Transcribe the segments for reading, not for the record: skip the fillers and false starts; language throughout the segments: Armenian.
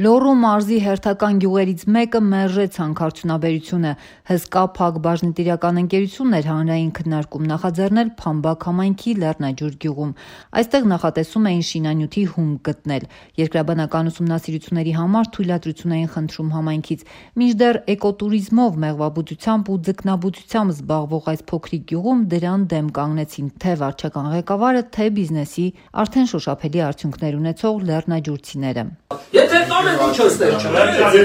Լոռու մարզի հերթական գյուղերից մեկը Մերժեց հանքարդյունաբերությունը հսկա փակ բաժնետիրական ընկերությունն էր հանրային քննարկում նախաձեռնել Փամբակ համայնքի Լեռնաջուր գյուղում։ Այստեղ նախատեսում էին շինանյութի հումք գտնել։ Երկրաբանական ուսումնասիրությունների համար թույլատրություն էին խնդրում համայնքից։ Մինչդեռ էկոտուրիզմով, մեղվաբուծությամբ ու ձկնաբուծությամբ զբաղվող այս փոքրիկ գյուղում դրան դեմ կանգնեցին թե վարչական ղեկավարը, թե բիզնեսի արդեն շոշափելի արդյունքներ ունեցող լեռնաջուրցիները։ Եթե տանը ինչ ոստեր չունեն, եթե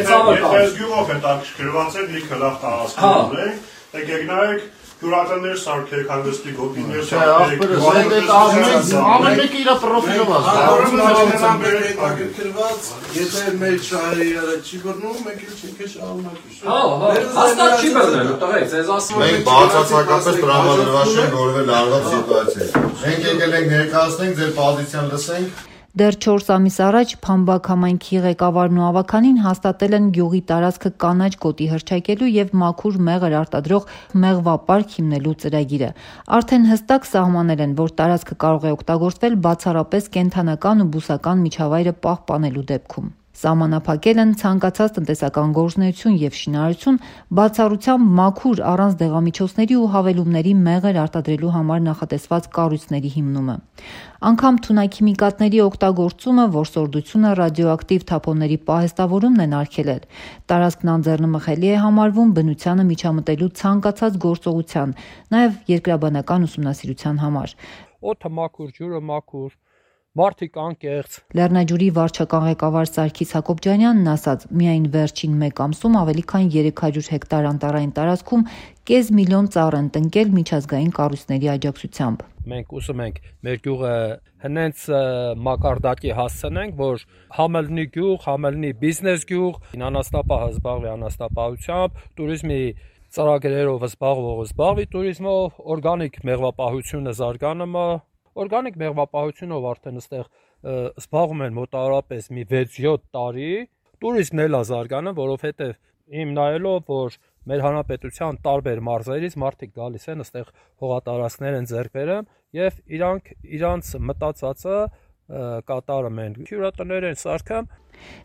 գյուղով հետաքրքրված եք, լիքը լավ տարածքներ ունենք, եկեք հյուրատներ սարքեք, հանգստի գոտիներ սարքեք, ամեն մեկը իր պրոֆիլով հետաքրքրված, եթե մեր շահերը չի բռնում, մենք էլ չենք շարունակի։ Հաստատ չի բռնելու, տղեկ, ձեզ ասում ենք բացարձակապես տրամադրված չենք որևէ լարված սիտուացիա։ Մենք եկել ենք ներկայացնենք, ձեր պոզիցիան լսենք։ Դեռ 4 ամիս առաջ Փամբակ համայնքի ղեկավարն ու ավականին հաստատել են գյուղի տարածքը կանաչ գոտի հռչակելու եւ մաքուր մեղր արտադրող մեղվապարկ հիմնելու ծրագիրը։ Արդեն հստակ սահմանել են, որ տարածքը կարող է օգտագործվել բացառապես կենդանական ու բուսական միջավայրը պահպանելու դեպքում։ Սահմանափակել են ցանկացած տնտեսական գործունեություն եւ շինարարություն, բացառությամբ մաքուր առանց դեղամիջոցների ու հավելումների մեղր արտադրելու համար նախատեսված կառույցների հիմնումը։ Անգամ թունաքիմիկատների օգտագործումը, որսորդությունը, ռադիոակտիվ թափոնների պահեստավորումն են արգելել։ Տարածքն անձեռնմխելի է համարվում բնությանը միջամտելու ցանկացած գործողության, նաեւ երկրաբանական ուսումնասիրության համար։ Օդը մաքուր, ջուրը մաքուր, մարդիկ անկեղծ։ Լեռնաջուրի վարչական ղեկավար Սարգիս Հակոբյանյանն ասաց, միայն վերջին 1 ամսում ավելի քան 300 հեկտար անտառային տարածքում կես միլիոն ծառ են տնկել միջազգային կառույցների աջակցությամբ։ Մենք ուզում ենք մեր գյուղը հենց մակարդակի հասցնենք, որ համելնի գյուղ, համելնի բիզնես գյուղ, անասնապահը զբաղվի անասնապահությամբ, туриզմի ծրագրերով զբաղվի туриզմով, օրգանիկ մեղվապահությունը զարգանում է։ Օրգանիկ մեղվապահությունով արդեն այստեղ զբաղվում են մոտավորապես մի 6-7 տարի, туриզմն էլ է զարգանում, որովհետև իմ նայելով, որ մեր հանրապետության տարբեր մարզերից մարդիկ գալիս են այստեղ հողատարածքներ են ձեռք բերում եւ իրանց մտածածը կատարում են։ Հյուրատներ են սարքում։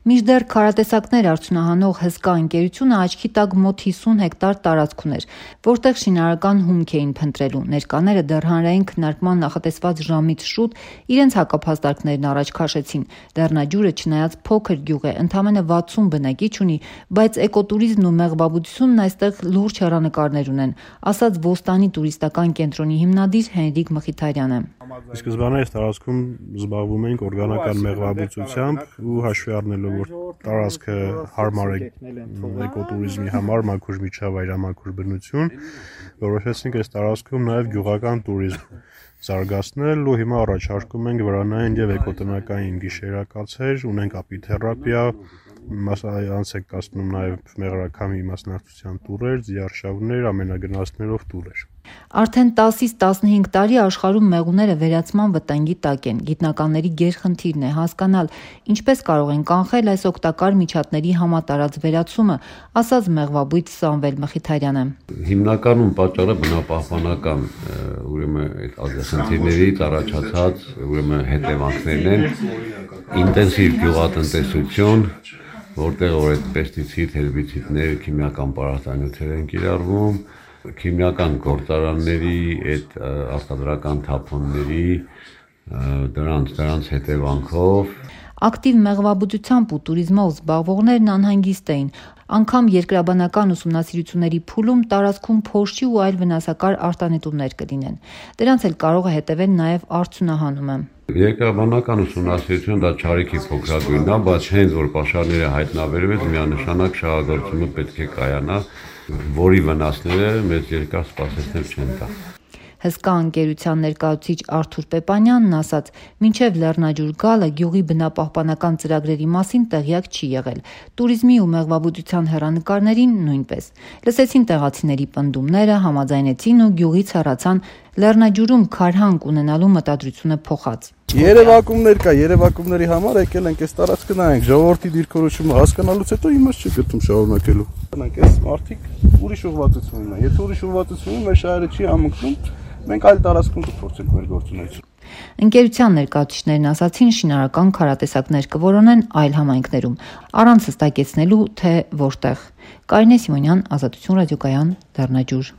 Մինչդեռ քարատեսակներ արդյունահանող հսկա ընկերությունը աչքի տակ մոտ 50 հեկտար տարածք ուներ, որտեղ շինարարական հումք էին փնտրելու։ Ներկաները դեռ հանրային քննարկման նախատեսված ժամից շուտ իրենց հակափաստարկներն առաջ քաշեցին։ Լեռնաջուրը չնայած փոքր գյուղ է, ընդամենը 60 բնակիչ ունի, բայց էկոտուրիզմն ու մեղվաբուծությունն այստեղ լուրջ հեռանկարներ ունեն, ասաց Ոստանի տուրիստական կենտրոնի հիմնադիր Հենրիկ Մխիթարյանը։ Սկզբանե այս տարածքում զբաղվում ենք օրգանական մեղվաբուծությամբ ու հաշվի առնելով, որ տարածքը հարմար է էկոտուրիզմի համար, մաքուր միջավայր, մաքուր բնություն, որոշեցինք այս տարածքում նաև գյուղական туриզմ զարգացնել ու հիմա առաջարկում ենք վրանային եւ էկոտնական գիշերակացեր, ունենք ապիթերապիա, անց եք կացնում նաև մեղրաքամի մասնակցության տուրեր, ձիարշավներ, ամենագնացներով տուրեր։ Արդեն 10-ից 15 տարի աշխարհում մեղուները վերացման վտանգի տակ են։ Գիտնականների գերխնդիրն է հասկանալ, ինչպես կարող են կանխել այս օգտակար միջատների համատարած վերացումը, ասաց մեղվաբույծ Սամվել Մխիթարյանը։ Հիմնականում պատճառը բնապահպանական, ուրեմն այդ ազգախնդիրներից առաջացած, ուրեմն հետևանքներն են, ինտենսիվ գյուղատնտեսություն, որտեղ որ այդ պեստիցիդ, հերբիցիդներ, քիմիական պարարտանյութեր են կիրառվում, քիմիական գործարանների, այդ արտադրական թափոնների, դրանց հետևանքով Ակտիվ մեղվաբուծությամբ ու туриզմով զբաղվողներն անհանգիստ էին։ Անգամ երկրաբանական ուսումնասիրությունների փուլում տարածքում փոշի ու այլ վնասակար արտանետումներ կլինեն։ Դրանց էլ կարող է հետևել նաև արդյունահանումը։ Երկրաբանական ուսումնասիրությունը դա չարիքի փոքրագույնն է, բայց հենց որ պաշարները հայտնաբերվեց, միանշանակ շահագործումը պետք է կայանա, որի վնասները մեծ երկար սպասեցնել չեն տա։ Հսկա ընկերության ներկայացուցիչ Արթուր Պեպանյանն ասաց, մինչև Լեռնաջուր գալը գյուղի բնապահպանական ծրագրերի մասին տեղյակ չի եղել, туриզմի ու մեղվաբուծության հեռանկարներին նույնպես։ Լսեցին տեղացիների պնդումները, համաձայնեցին ու գյուղից հեռացան Լեռնաջուրում քարհանք ունենալու մտադրությունը փոխած։ Երևակումներ կա, երևակումների համար եկել ենք այս տարածքը նայենք, ժողովրդի դիրքորոշումը հասկանալուց հետո իմաստ չի գտնում շարունակելու։ Այս մարդիկ ուրիշ ուղղվածություն ունեն, եթե ուրիշ ուղղվածություն ունեն, մեր շահերը չի համընկնում, մենք այլ տարածքում կփորձենք մեր գործունեությունը։ Ընկերության ներկայացուցիչներն ասացին, շինարարական քարատեսակներ կորոնեն այլ համայնքներում, առանց հստակեցնելու, թե որտեղ։ Կարինե Սիմոնյան, Ազատություն ռադիոկայան, Դառնաճյուր։